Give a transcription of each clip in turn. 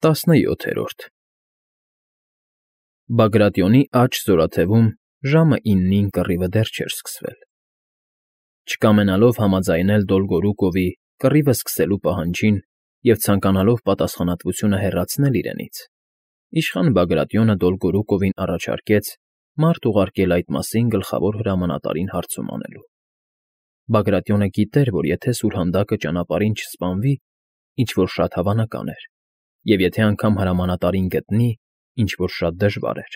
17 Բագրատիոնի աջ զորաթևում ժամը 9-ին կռիվը դեռ չէր սկսվել։ Չկամենալով համաձայնել Դոլգորուկովի կռիվը սկսելու պահանջին և ցանկանալով պատասխանատվությունը հեռացնել իրենից, իշխան Բագրատիոնը Դոլգորուկովին առաջարկեց մարդ ուղարկել այդ մասին գլխավոր հրամանատարին հարցում անելու։ Բագրատիոնը գիտեր, որ եթե սուրհանդակը ճանապարհին չսպանվի, ինչ-որ շատ հավանական էր, և եթե անգամ հրամանատարին գտնի, ինչ֊որ շատ դժվար էր,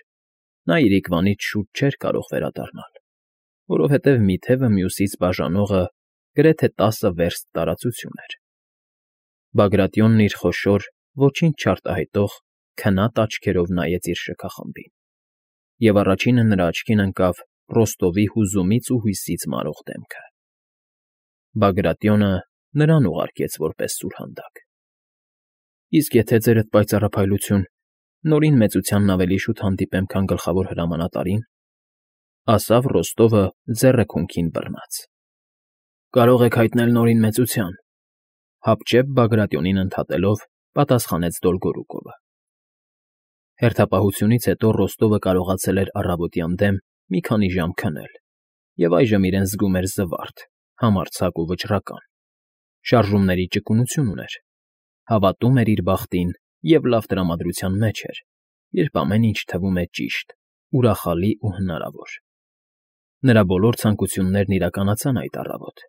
նա իրիկվանից շուտ չէր կարող վերադառնալ, որովհետև մի թևը մյուսից բաժանողը գրեթե 10 վերստ տարածություն էր։ Բագրատիոնն իր խոշոր, ոչինչ չարտահայտող, քնած աչքերով նայեց իր շքախմբին, և առաջինը նրա աչքին ընկավ Ռոստովի հուզումից ու հույսից մարող դեմքը։ Բագրատիոնը նրան ուղարկեց որպես սուրհանդակ։ Իսկ եթե ձերդ պայծառափայլություն, նորին մեծությանն ավելի շուտ հանդիպեմ, քան գլխավոր հրամանատարին, ասավ Ռոստովը ձեռը քունքին բռնած։ Կարող եք հայտնել նորին մեծության, հապճեպ Բագրատիոնին ընդհատելով պատասխանեց Դոլգորուկովը։ Հերթապահությունից հետո Ռոստովը կարողացել էր առավոտյան դեմ մի քանի ժամ քնել, և այժմ իրեն զգում էր զվարթ, համարձակ ու վճռական, շարժումների ճկունություն ուներ, հավատում էր իր բախտին և լավ տրամադրության մեջ էր, երբ ամեն ինչ թվում է ճիշտ, ուրախալի ու հնարավոր։ Նրա բոլոր ցանկություններն իրականացան այդ առավոտ։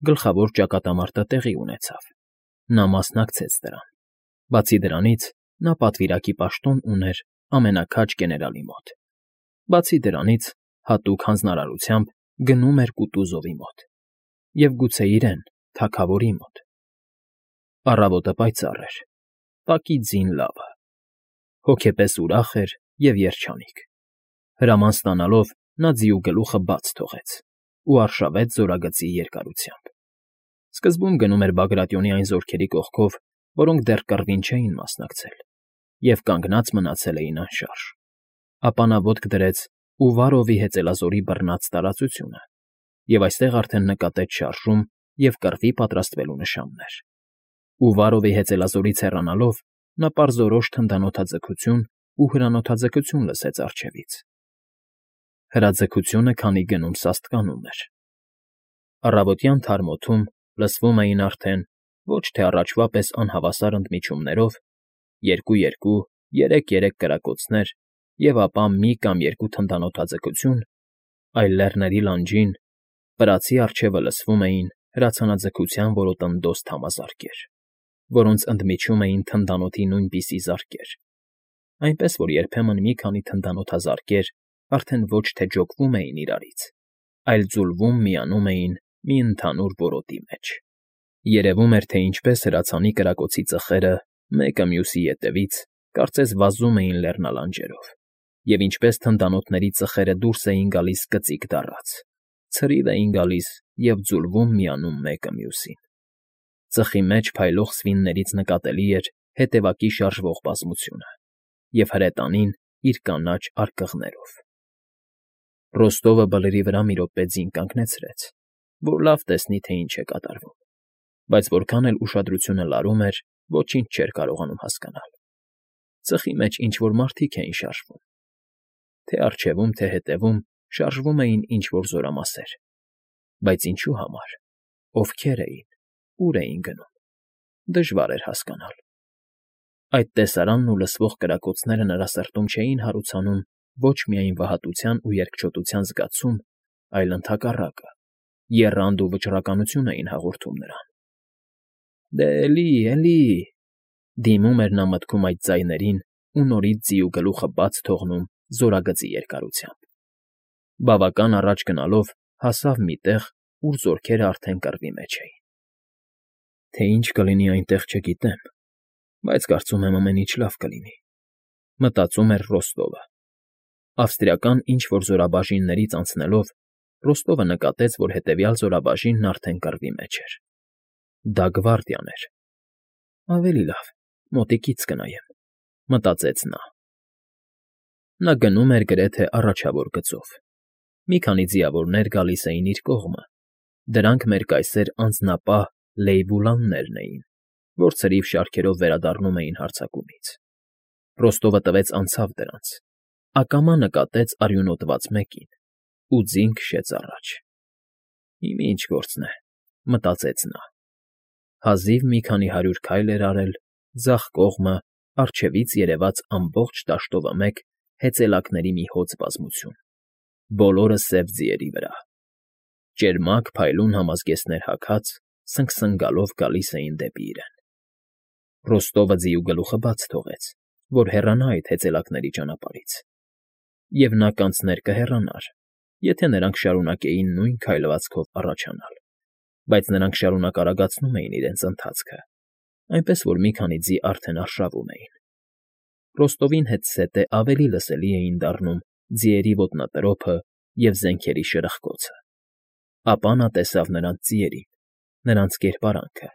Գլխավոր ճակատամարտը տեղի ունեցավ։ Նա մասնակցեց դրան։ Բացի դրանից, նա պատվիրակի պաշտոն ուներ ամենաքաջ գեներալի մոտ։ Բացի դրանից, հատուկ հանձնարարությամբ գնում էր Կուտուզովի մոտ։ Եվ գուցե իրեն, թագավորի մոտ։ Առավոտը պայծառ էր, տակի ձին լավը, հոգեպես ուրախ էր և երջանիկ։ Հրաման ստանալով նա ձիու գլուխը բաց թողեց ու արշավեց զորագծի երկարությամբ։ Սկզբում գնում էր Բագրատիոնի այն զորքերի կողքով, որոնք դեռ կռվին չէին մասնակցել և կանգնած մնացել էին անշարժ։ Ապա նա ոտք դրեց Ուվարովի հեծելազորի բռնած տարածությունը և այստեղ արդեն նկատեց շարժում և կռվի պատրաստվելու նշաններ։ Ուվարովի հեծելազորից հեռանալով նա պարզորոշ թնդանոթաձգություն ու հրանոթաձգություն լսեց առջևից։ Հրաձգությունը քանի գնում սաստկանում էր։ Առավոտյան թարմ օդում լսվում էին արդեն ոչ թե առաջվա պես անհավասար ընդմիջումներով 2-2, 3-3 կրակոցներ և ապա մի կամ երկու թնդանոթաձգություն, այլ լեռների լանջին, վրացի առջևը լսվում էին հրացանաձգության որոտնդոզ թամազարկեր, որոնց ընդմիջում էին թնդանոթի նույնպիսի զարկեր, այնպես որ երբեմն մի քանի թնդանոթազարկեր արդեն ոչ թե ջոկվում էին իրարից, այլ ձուլվում միանում էին մի ընդհանուր որոտի մեջ։ Երևում էր, թե ինչպես հրացանի կրակոցի ծխերը մեկը մյուսի ետևից կարծես վազում էին լեռնալանջերով, և ինչպես թնդանոթների ծխերը դուրս էին գալիս կծիկ դառած, ցրիվ էին գալիս և ձուլվում միանում մեկը մյուսին։ Ծխի մեջ փայլող սվիններից նկատելի էր հետևակի շարժվող բազմությունը և հրետանին իր կանաչ արկղներով։ Ռոստովը բլրի վրա մի րոպե ձին կանգնեցրեց, որ լավ տեսնի, թե ինչ է կատարվում, բայց որքան էլ ուշադրությունը լարում էր, ոչինչ չէր կարողանում հասկանալ։ Ծխի մեջ ինչ֊որ մարդիկ էին շարժվում։ Թե առջևում, թե հետևում շարժվում էին ինչ֊որ զորամասեր։ Բայց ինչու համար, ովքեր էին, ուր էին գնում, դժվար էր հասկանալ։ Այդ տեսարանն ու լսվող կրակոցները նրա սրտում չէին հարուցանում ոչ միայն վհատության ու երկչոտության զգացում, այլ ընդհակառակը, եռանդ ու վճռականություն էին հաղորդում նրան։ Դե էլի, դիմում էր նա մտքում այդ ձայներին ու նորից ձիու գլուխը բաց թողնում զորագծի երկարությամբ։ Բավական առաջ գնալով հասավ մի տեղ, ուր զորքերը արդեն կռվի մեջ էին։ Թե ինչ կլինի այնտեղ չգիտեմ, բայց կարծում եմ ամեն ինչ լավ կլինի, մտածում էր Ռոստովը։ Ավստրիական ինչ֊որ զորաբաժիններից անցնելով Ռոստովը նկատեց, որ հետևյալ զորաբաժինն արդեն կռվի մեջ էր։ Դա գվարդիան էր։ Ավելի լավ, մոտիկից կնայեմ, մտածեց նա։ Նա գնում էր գրեթե առաջավոր գծով։ Մի քանի ձիավորներ գալիս էին իր կողմը, դրանք մեր կայսեր անձնապահ Լեյբուլաններն էին, որ ցրիվ շարքերով վերադառնում էին հարձակումից։ Ռոստովը տվեց անցավ դրանց, ակամա նկատեց արյունոտված մեկին ու ձին քշեց առաջ։ «Իմ ինչ գործն է», մտածեց նա։ Հազիվ մի քանի 100 քայլ էր արել, ձախ կողմը առջևից երևաց ամբողջ դաշտովը մեկ հեծելակների մի հոծ բազմություն, բոլորը սև ձիերի վրա։ Ճերմակ փայլուն համազգեստներ հագած, սնգսնգալով գալիս էին դեպի իրեն։ Ռոստովը ձիու գլուխը բաց թողեց, որ հեռանա այդ հեծելակների ճանապարհից, և նա կանցներ կհեռանար, եթե նրանք շարունակեին նույն քայլվածքով առաջանալ, բայց նրանք շարունակ արագացնում էին իրենց ընթացքը, այնպես որ մի քանի ձի արդեն արշավում էին։ Ռոստովին հետզհետե ավելի լսելի էին դառնում ձիերի ոտնատրոփը և զենքերի շրխկոցը։ Ապա նա տեսավ նրանց ձիերին, նրանց կերպարանքը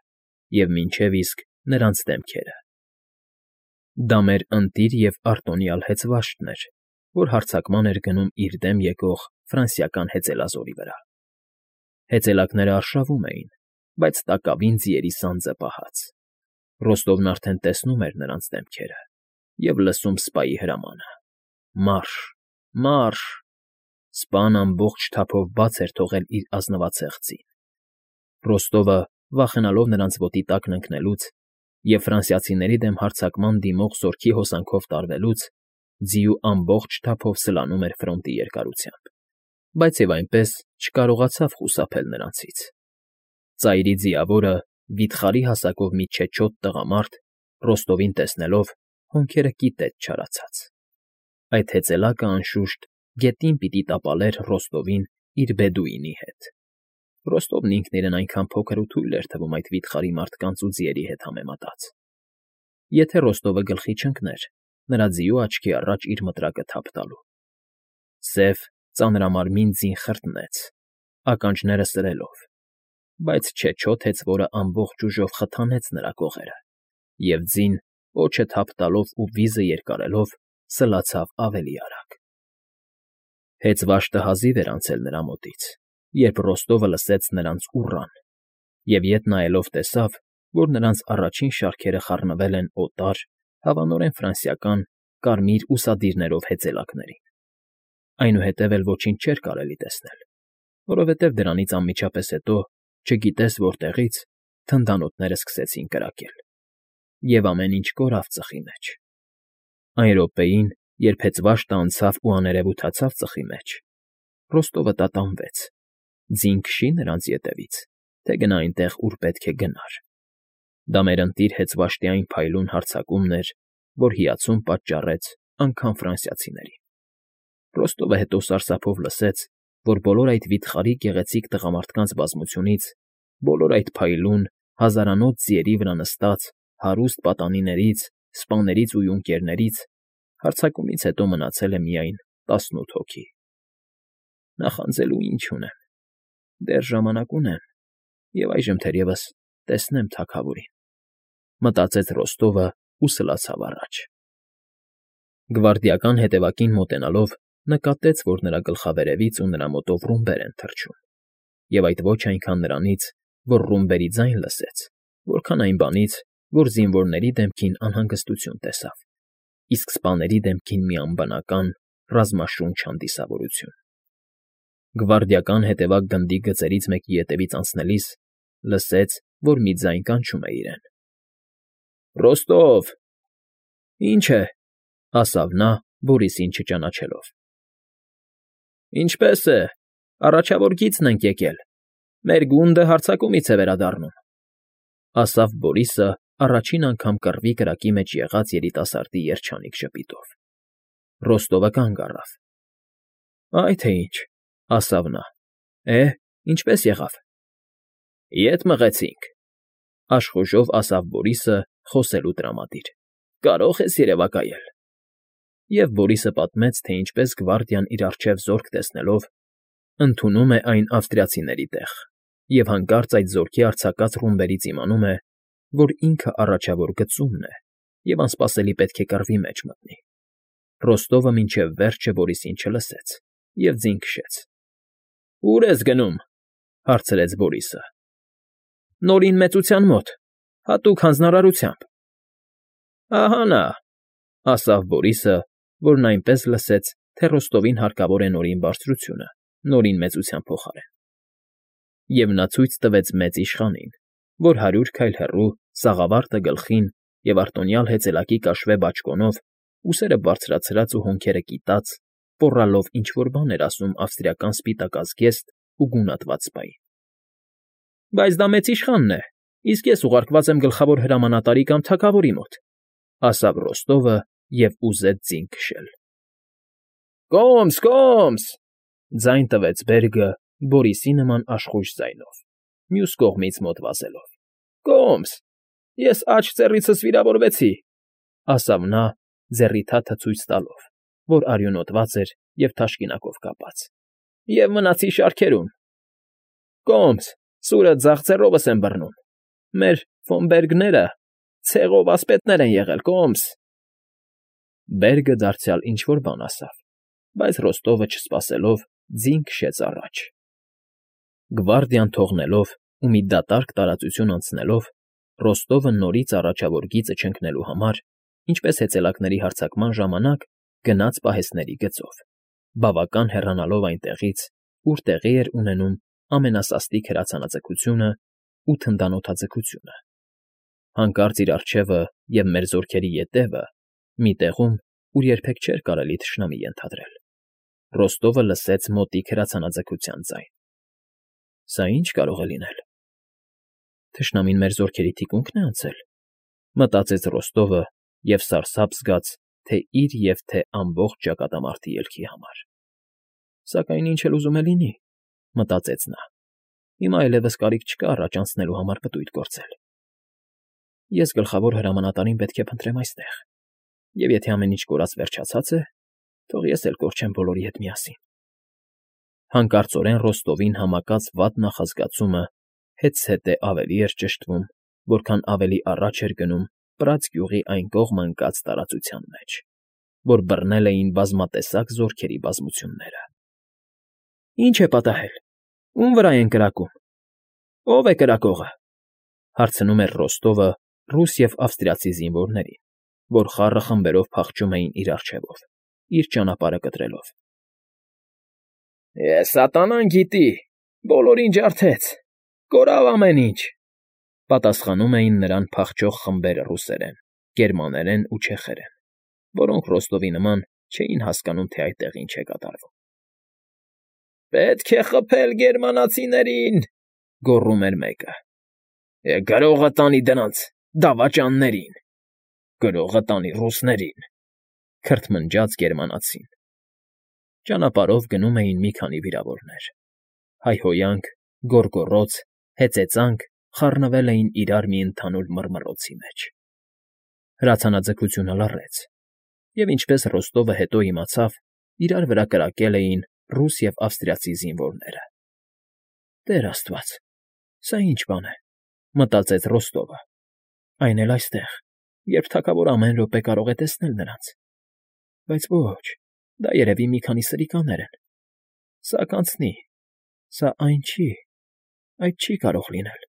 և մինչև իսկ նրանց դեմքերը։ Դա մեր ընտիր և արտոնյալ հեծվաշտն էր, որ հարձակման էր գնում իր դեմ եկող ֆրանսիական հեծելազորի վրա։ Հեծելակները արշավում էին, բայց տակավին ձիերի սանձը պահած։ Ռոստովն արդեն տեսնում էր նրանց դեմքերը և լսում սպայի հրամանը. «Մարշ, մարշ»։ Սպան ամբողջ թափով բաց էր թողել իր ազնվացեղ ձին։ Ռոստովը, վախենալով նրանց ոտի տակն ընկնելուց և ֆրանսիացիների դեմ հարձակման դիմող զորքի հոսանքով տարվելուց, ձիու ամբողջ թափով սլանում էր ֆրոնտի երկարությամբ, բայց և այնպես չկարողացավ խուսափել նրանցից։ Ծայրի ձիավորը, վիթխարի հասակով մի չեչոտ տղամարդ, Ռոստովին տեսնելով, հոնքերը կիտեց չարացած։ Այդ հեծելակը, անշուշտ, գետին պիտի տապալեր Ռոստովին իր բեդուինի հետ։ Ռոստովն ինքն իրեն այնքան փոքր ու թույլ էր թվում այդ վիթխարի մարդկանց ու ձիերի հետ համեմատած։ Եթե Ռոստովը գլխի չընկներ, նրա ձիու աչքի առաջ իր մտրակը թափ տալու։ Սև, ծանրամարմին ձին խրտնեց, ականջները սրելով, բայց չեչոտ հեծվորը ամբողջ ուժով խթանեց նրա կողերը, և ձին, պոչը թափ տալով ու վիզը երկարելով, սլացավ ավելի արագ։ Հեծվաշտը հազիվ էր անցել նրա մոտից, երբ Ռոստովը լսեց նրանց ուռան, և ետ նայելով տեսավ, որ նրանց առաջին շարքերը խառնվել են օտար, հավանորեն ֆրանսիական կարմիր ուսադիրներով հեծելակներին։ Այնուհետև էլ ոչինչ չէր կարելի տեսնել, որովհետև դրանից անմիջապես հետո, չգիտես որտեղից, թնդանոթները սկսեցին կրակել, և ամեն ինչ կորավ ծխի մեջ։ Այն րոպեին, երբ հեծվաշտը անցավ ու աներևութացավ ծխի մեջ, Ռոստովը տատանվեց. ձին քշի՞ նրանց ետևից, թե գնա այնտեղ, ուր պետք է գնար։ Դա մեր ընտիր հեծվաշտի այն փայլուն հարձակումն էր, որ հիացում պատճառեց անգամ ֆրանսիացիներին։ Ռոստովը հետո սարսափով լսեց, որ բոլոր այդ վիթխարի գեղեցիկ տղամարդկանց բազմությունից, բոլոր այդ փայլուն, հազարանոց ձիերի վրա նստած հարուստ պատանիներից, սպաներից ու յունկերներից հարձակումից հետո մնացել է միայն 18 հոգի։ Նախանձելու ինչ ունեմ, դեռ ժամանակ ունեմ, և այժմ թերևս տեսնեմ թագավորին, մտածեց Ռոստովը ու սլացավ առաջ։ Գվարդիական հետևակին մոտենալով նկատեց, որ նրա գլխավերևից ու նրա մոտով ռումբեր են թռչում, և այդ ոչ այնքան նրանից, որ ռումբերի ձայն լսեց, որքան այն բանից, որ զինվորների դեմքին անհանգստություն տեսավ, իսկ սպաների դեմքին մի անբնական, ռազմաշունչ հանդիսավորություն։ Գվարդիական հետևակ գնդի գծերից մեկի ետևից անցնելիս լսեց, որ մի ձայն կանչում է իրեն։ «Ռոստով»։ «Ինչ է», ասավ նա, Բորիսին չճանաչելով։ «Ինչպե՞ս է, առաջավոր գիծն ենք եկել, մեր գունդը հարձակումից է վերադառնում», ասավ Բորիսը առաջին անգամ կռվի կրակի մեջ եղած երիտասարդի երջանիկ ժպիտով։ Ռոստովը կանգ առավ։ «Այ թե ինչ», ասավ նա։ Ինչպե՞ս եղավ։ «Ետ մղեցինք», աշխուժով ասավ Բորիսը, խոսելու տրամադիր։ «Կարո՞ղ ես երևակայել»։ Եվ Բորիսը պատմեց, թե ինչպես գվարդիան իր առջև զորք տեսնելով, ընդունում է այն ավստրիացիների տեղ, և հանկարծ այդ զորքի արձակած ռումբերից իմանում է, որ ինքը առաջավոր գծումն է և անսպասելի պետք է կռվի մեջ մտնի։ Ռոստովը մինչև վերջը Բորիսին չլսեց և ձին քշեց։ «Ո՞ւր ես գնում», հարցրեց Բորիսը։ «Նորին մեծության մոտ», Հատուկ հանձնարարությամբ։ ֊ Ահա նա,֊ ասաց Բորիսը, որն այնպես լսեց, թե Ռոստովին հարկավոր է Նորին բարձրությունը, Նորին մեծության փոխարեն։ Եվ նա ցույց տվեց մեծ իշխանին, որ 100 քայլ հեռու, սաղավարտը գլխին և արտոնյալ հեծելակի կաշվե բաճկոնով, ուսերը բարձրացրած ու հոնքերը կիտած, պոռալով ինչ֊որ բան էր ասում ավստրիական սպիտակազգեստ ու գունատված սպային։ ֊ Բայց դա մեծ իշխանն է, իսկ ես ուղարկված եմ գլխավոր հրամանատարի կամ թագավորի մոտ,֊ ասաց Ռոստովը և ուզեց ձին քշել։ ֊ Կոմս, կոմս,֊ ձայն տվեց Բերգը Բորիսի նման աշխույժ ձայնով, մյուս կողմից մոտ վազելով։ ֊ Կոմս, ես աջ ծեռիցս վիրավորվեցի,֊ ասաց նա, ձեռի թաթը ցույց տալով, որ արյունոտված էր և թաշկինակով կապած,֊ և մնացի շարքերում։ ֊ Կոմս, սուրը ձախ ձեռովս եմ բռնում, մեր ֆոն Բերգները ցեղով ասպետներ են եղել, կոմս… Բերգը դարձյալ ինչ֊որ բան ասաց, բայց Ռոստովը, չսպասելով, ձին քշեց առաջ։ Գվարդիան թողնելով ու մի դատարկ տարածություն անցնելով, Ռոստովը նորից առաջավոր գիծը չընկնելու համար, ինչպես հեծելակների հարձակման ժամանակ, գնաց պահեստների գծով, բավական հեռանալով այնտեղից, ուր տեղի էր ունենում ամենասաստիկ հրացանաձգությունն ու թնդանոթաձգությունը, հանկարծ իր առջևը և մեր զորքերի ետևը, մի տեղում, ուր երբեք չէր կարելի թշնամի ենթադրել, Ռոստովը լսեց մոտիկ հրացանաձգության ձայն։ «Սա ի՞նչ կարող է լինել»։ «Թշնամին մեր զորքերի թիկունքն է անցել», մտածեց Ռոստովը և սարսափ զգաց թե՛ իր և թե՛ ամբողջ ճակատամարտի ելքի համար։ «Սակայն ինչ էլ ուզում է լինի,֊ մտածեց նա,֊ հիմա այլևս կարիք չկա առաջ անցնելու համար պտույտ գործել։ Ես գլխավոր հրամանատարին պետք է փնտրեմ այստեղ, և եթե ամեն ինչ կորած֊վերջացած է, թող ես էլ կորչեմ բոլորի հետ միասին»։ Հանկարծորեն Ռոստովին համակած վատ նախազգացումը հետզհետե ավելի էր ճշտվում, որքան ավելի առաջ էր գնում Պրած գյուղի այն կողմը ընկած տարածության մեջ, որ բռնել էին բազմատեսակ զորքերի բազմությունները։ «Ի՞նչ է պատահել, ո՞ւմ վրա են կրակում, ո՞վ է կրակողը,֊ հարցնում էր Ռոստովը ռուս և ավստրիացի զինվորներին, որ խառը խմբերով փախչում էին իր առջևով, իր ճանապարհը կտրելով։ ֊ Սատանան գիտի, բոլորին ջարդեց, կորավ ամեն ինչ,֊ պատասխանում էին նրան փախչող խմբերը ռուսերեն, գերմաներեն ու չեխերեն, որոնք Ռոստովի նման չէին հասկանում, թե այդտեղ ինչ է կատարվում։ ֊ Պետք է խփել գերմանացիներին,֊ գոռում էր մեկը։ ֊ Գրողը տանի դրանց դավաճաններին, գրողը տանի ռուսներին,֊ քրթմնջաց գերմանացին։ Ճանապարհով գնում էին մի քանի վիրավորներ. հայհոյանք, գոռգոռոց, հեծեծանք խառնվել էին իրար մի ընդհանուր մռմռոցի մեջ։ Հրացանաձգությունը լռեց, և ինչպես Ռոստովը հետո իմացավ, իրար վրա կրակել էին ռուս և ավստրիացի զինվորները։ «Տեր աստված, սա ի՞նչ բան է,֊ մտածեց Ռոստովը,֊ այն էլ այստեղ, երբ թագավորը ամեն րոպե կարող է տեսնել նրանց։ Բայց ոչ, դա երևի մի քանի սրիկաներ են։ Սա կանցնի, սա այն չի, այդ չի կարող լինել,֊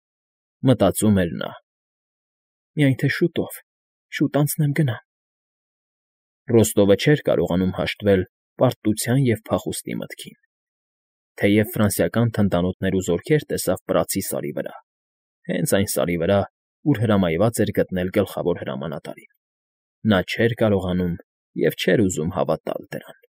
մտածում էր նա։ «Միայն թե շուտով, շուտ անցնեմ գնամ»։ Ռոստովը չէր կարողանում հաշտվել պարտության և փախուստի մտքին։ Թեև ֆրանսիական թնդանոթներ ու զորքեր տեսավ Պրացի սարի վրա, հենց այն սարի վրա, ուր հրամայված էր գտնել գլխավոր հրամանատարին, նա չէր կարողանում և չէր ուզում հավատալ դրան։